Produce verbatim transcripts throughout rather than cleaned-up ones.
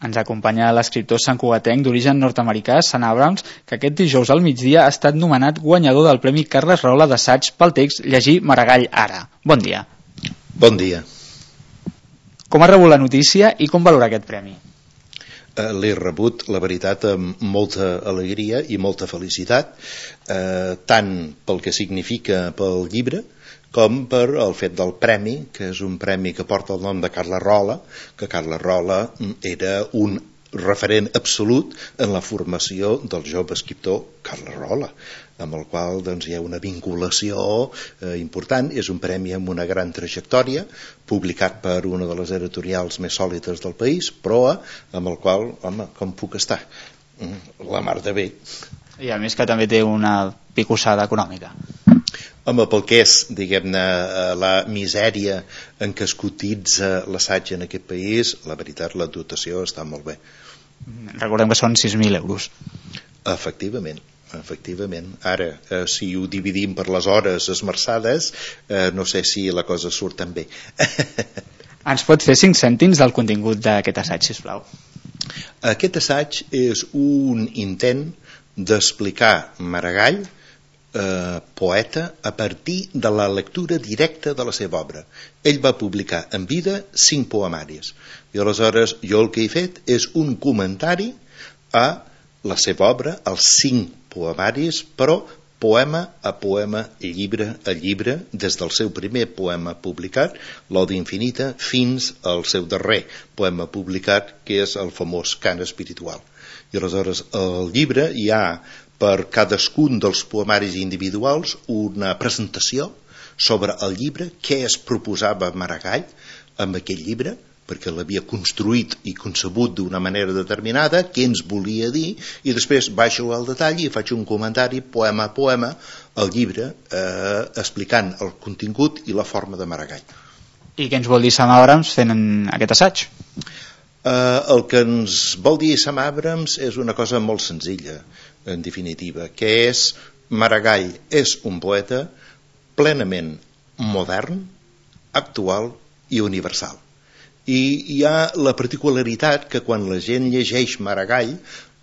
Ens acompanya l'escriptor santcugatenc d'origen nord-americà, Sant Abrams, que aquest dijous al migdia ha estat nomenat guanyador del Premi Carles Rola d'assaig pel text Llegir Maragall ara. Bon dia. Bon dia. Com ha rebut la notícia i com valora aquest premi? Eh, L'he rebut, la veritat, amb molta alegria i molta felicitat, eh, tant pel que significa pel llibre, com per el fet del premi, que és un premi que porta el nom de Carles Rola, que Carles Rola era un referent absolut en la formació del jove escriptor Carles Rola, amb el qual doncs, hi ha una vinculació eh, important. És un premi amb una gran trajectòria, publicat per una de les editorials més sòlides del país, Proa, amb el qual, home, com puc estar? La mar de bé. I a més que també té una picossada econòmica. Home, pel que és, diguem-ne, la misèria en què es cotitza l'assaig en aquest país, la veritat, la dotació està molt bé. Recordem que són sis mil euros. Efectivament, efectivament. Ara, eh, si ho dividim per les hores esmerçades, eh, no sé si la cosa surt tan bé. Ens pot fer cinc cèntims del contingut d'aquest assaig, sisplau? Aquest assaig és un intent d'explicar Maragall, Eh, poeta, a partir de la lectura directa de la seva obra. Ell va publicar en vida cinc poemaris i aleshores jo el que he fet és un comentari a la seva obra, els cinc poemaris, però poema a poema, llibre a llibre, des del seu primer poema publicat, l'Odi Infinita, fins al seu darrer poema publicat, que és el famós Cant Espiritual. I aleshores al llibre hi ha per cadascun dels poemaris individuals una presentació sobre el llibre, què es proposava Maragall amb aquest llibre, perquè l'havia construït i concebut d'una manera determinada, què ens volia dir, i després baixo al detall i faig un comentari poema a poema al llibre, eh, explicant el contingut i la forma de Maragall. I què ens vol dir Sant Abrams fent aquest assaig? Eh, el que ens vol dir Sam Abrams és una cosa molt senzilla, en definitiva, que és Maragall és un poeta plenament modern, actual i universal. I hi ha la particularitat que quan la gent llegeix Maragall,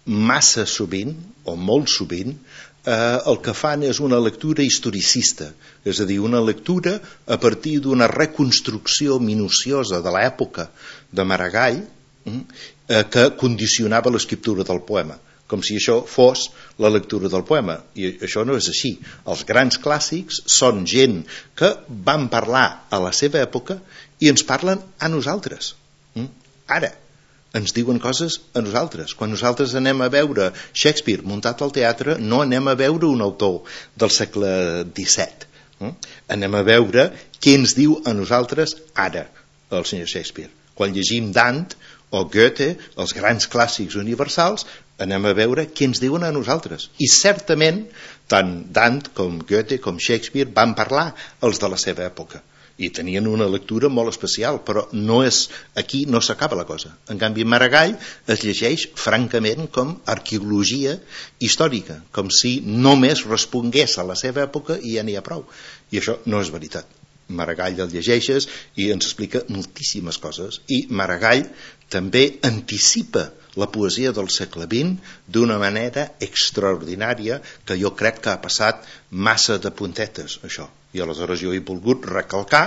massa sovint, o molt sovint, eh, el que fan és una lectura historicista, és a dir, una lectura a partir d'una reconstrucció minuciosa de l'època de Maragall, eh, que condicionava l'escriptura del poema, com si això fos la lectura del poema, i això no és així. Els grans clàssics són gent que van parlar a la seva època i ens parlen a nosaltres. Ara, ens diuen coses a nosaltres. Quan nosaltres anem a veure Shakespeare muntat al teatre, no anem a veure un autor del segle disset. Anem a veure què ens diu a nosaltres ara el senyor Shakespeare. Quan llegim Dante o Goethe, els grans clàssics universals, anem a veure què ens diuen a nosaltres. I certament, tant Dante com Goethe com Shakespeare van parlar els de la seva època i tenien una lectura molt especial, però no és, aquí no s'acaba la cosa. En canvi, Maragall es llegeix francament com arqueologia històrica, com si només respongués a la seva època i ja n'hi ha prou. I això no és veritat. Maragall el llegeixes i ens explica moltíssimes coses, i Maragall també anticipa la poesia del segle vint d'una manera extraordinària que jo crec que ha passat massa de puntetes, això. I aleshores jo he volgut recalcar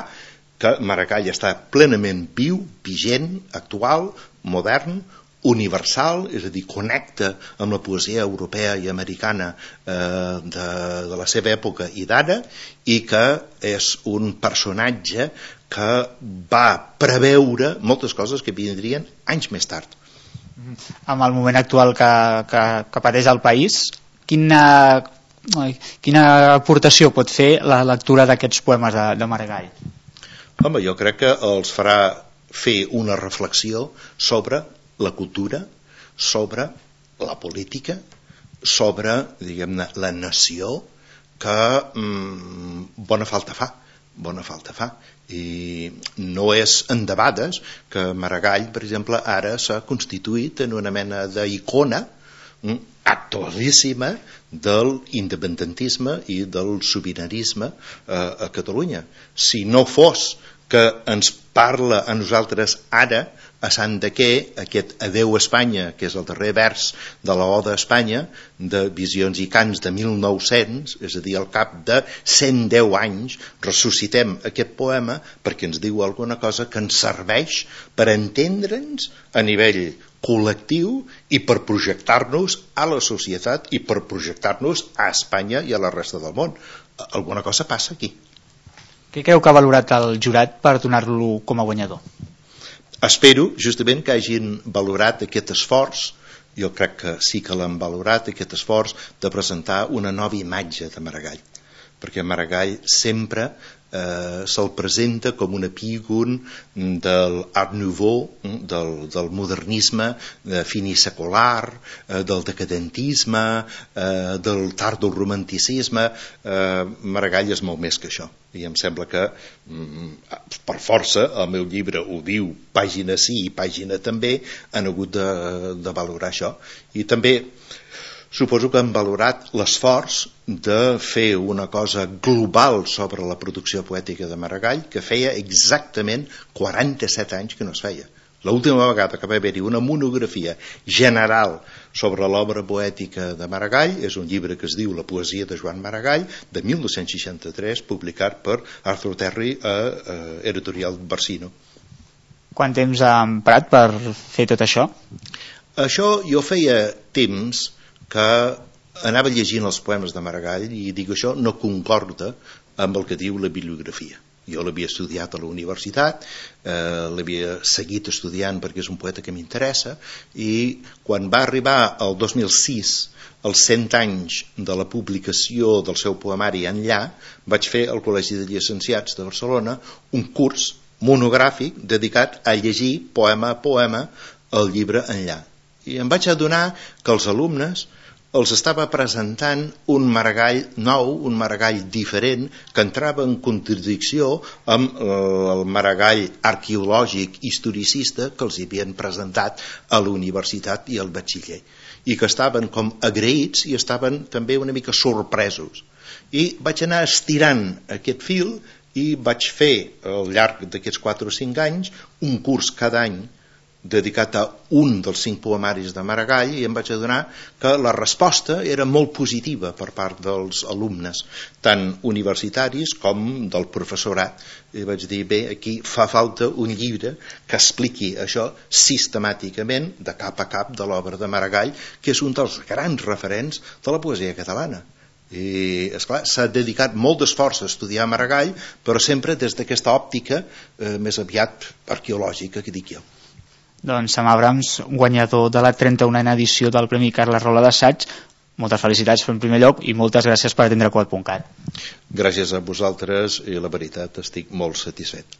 que Maragall està plenament viu, vigent, actual, modern, universal, és a dir, connecta amb la poesia europea i americana eh, de, de la seva època i d'ara, i que és un personatge que va preveure moltes coses que vindrien anys més tard. Amb el moment actual que, que, que pateix el país, quina, quina aportació pot fer la lectura d'aquests poemes de, de Maragall? Home, jo crec que els farà fer una reflexió sobre la cultura, sobre la política, sobre, diguem-ne, la nació, que mm, bona falta fa, bona falta fa. I no és endebades que Maragall, per exemple, ara s'ha constituït en una mena d'icona mm, actualíssima del independentisme i del sobiranisme eh, a Catalunya. Si no fos que ens parla a nosaltres ara, a Sant de què, aquest Adeu Espanya, que és el darrer vers de l'Oda a Espanya, de Visions i Cants de mil nou-cents, és a dir, al cap de cent deu anys, ressuscitem aquest poema perquè ens diu alguna cosa que ens serveix per entendre'ns a nivell col·lectiu i per projectar-nos a la societat i per projectar-nos a Espanya i a la resta del món. Alguna cosa passa aquí. Què creu que ha valorat el jurat per donar-lo com a guanyador? Espero justament que hagin valorat aquest esforç, jo crec que sí que l'han valorat, aquest esforç de presentar una nova imatge de Maragall, perquè Maragall sempre eh, se'l presenta com un epígon del Art Nouveau, del, del modernisme eh, finisecular, eh, del decadentisme, eh, del tardoromanticisme. eh, Maragall és molt més que això, i em sembla que per força, el meu llibre ho diu, pàgina sí i pàgina també, han hagut de, de valorar això. I també suposo que han valorat l'esforç de fer una cosa global sobre la producció poètica de Maragall, que feia exactament quaranta-set anys que no es feia. L'última vegada que va haver-hi una monografia general sobre l'obra poètica de Maragall és un llibre que es diu La poesia de Joan Maragall, de mil nou-cents seixanta-tres, publicat per Arthur Terry a, a Editorial Barsino. Quant temps ha emprat per fer tot això? Això jo feia temps que anava llegint els poemes de Maragall i dic, això no concorda amb el que diu la bibliografia. Jo l'havia estudiat a la universitat, eh, l'havia seguit estudiant perquè és un poeta que m'interessa, i quan va arribar el dos mil sis, els cent anys de la publicació del seu poemari Enllà, vaig fer al Col·legi de Llicenciats de Barcelona un curs monogràfic dedicat a llegir poema a poema el llibre Enllà. I em vaig adonar que els alumnes els estava presentant un Maragall nou, un Maragall diferent, que entrava en contradicció amb el Maragall arqueològic historicista que els havien presentat a la universitat i al batxiller, i que estaven com agraïts i estaven també una mica sorpresos. I vaig anar estirant aquest fil i vaig fer al llarg d'aquests quatre o cinc anys un curs cada any dedicat a un dels cinc poemaris de Maragall, i em vaig adonar que la resposta era molt positiva per part dels alumnes, tant universitaris com del professorat. I vaig dir, bé, aquí fa falta un llibre que expliqui això sistemàticament, de cap a cap, de l'obra de Maragall, que és un dels grans referents de la poesia catalana. I, esclar, s'ha dedicat molt d'esforç a estudiar Maragall, però sempre des d'aquesta òptica eh, més aviat arqueològica, que dic jo. Doncs Sam Abrams, guanyador de la trenta-unena edició del Premi Carles Rola d'Assaig, moltes felicitats en primer lloc i moltes gràcies per atendre quart punt cat. Gràcies a vosaltres, i la veritat estic molt satisfet.